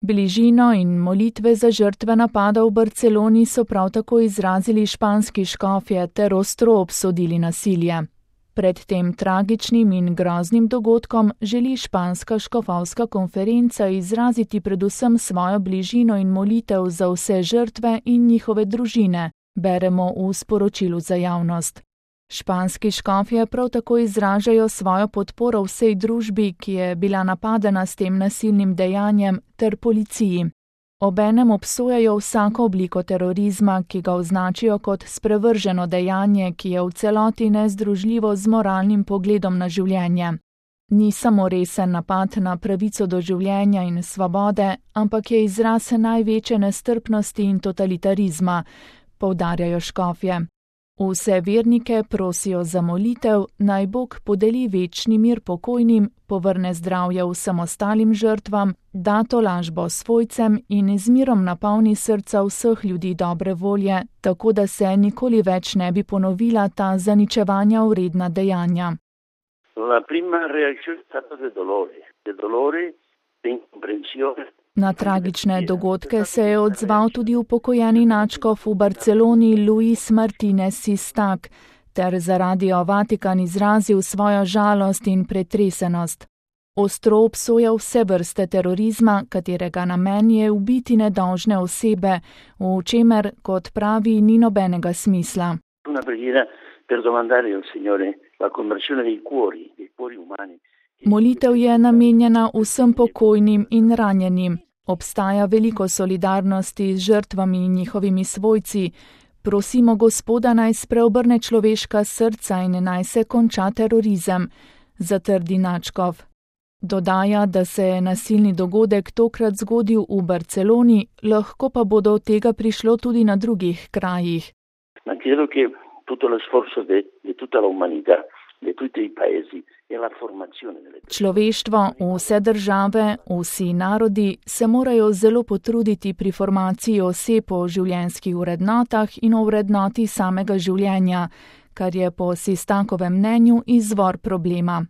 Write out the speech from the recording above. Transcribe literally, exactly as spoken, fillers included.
Bližino in molitve za žrtve napada v Barceloni so prav tako izrazili španski škofje ter ostro obsodili nasilje. Pred tem tragičnim in groznim dogodkom želi španska škofovska konferenca izraziti predvsem svojo bližino in molitev za vse žrtve in njihove družine, beremo v sporočilu za javnost. Španski škofje prav tako izražajo svojo podporo vsej družbi, ki je bila napadena s tem nasilnim dejanjem, ter policiji. Obenem obsojajo vsako obliko terorizma, ki ga označijo kot sprevrženo dejanje, ki je v celoti nezdružljivo z moralnim pogledom na življenje. Ni samo resen napad na pravico do življenja in svobode, ampak je izraz največje nestrpnosti in totalitarizma, poudarjajo škofje. Vse vernike prosijo za molitev, naj Bog podeli večni mir pokojnim, povrne zdravje vsem ostalim žrtvam, da tolažbo svojcem in z mirom napolni srca vseh ljudi dobre volje, tako da se nikoli več ne bi ponovila ta zaničevanja vredna dejanja. La prima reazione è stata di dolore, di dolore, di incomprensione. Na tragične dogodke se je odzval tudi upokojeni nadškof v Barceloni Luis Martinez Sistak, ter za Radio Vatikan izrazil svojo žalost in pretresenost. Ostro obsoja vse vrste terorizma, katerega namen je ubiti nedolžne osebe, v čemer, kot pravi, ni nobenega smisla. Una preghiera per domandare al Signore la conversione dei cuori, dei cuori umani. Molitev je namenjena vsem pokojnim in ranjenim. Obstaja veliko solidarnosti z žrtvami in njihovimi svojci. Prosimo Gospoda, naj spreobrne človeška srca in naj se konča terorizem, zatrdi nadškof. Dodaja, da se je nasilni dogodek tokrat zgodil v Barceloni, lahko pa bodo od tega prišlo tudi na drugih krajih. Ma credo che tutto lo sforzo di tutta la umanità, di tutti i paesi, è la formazione delle persone. Človeštvo, vse države, vsi narodi se morajo zelo potruditi pri formaciji oseb o življenjskih vrednotah in o vrednoti samega življenja, kar je po Sistakovem mnenju izvor problema.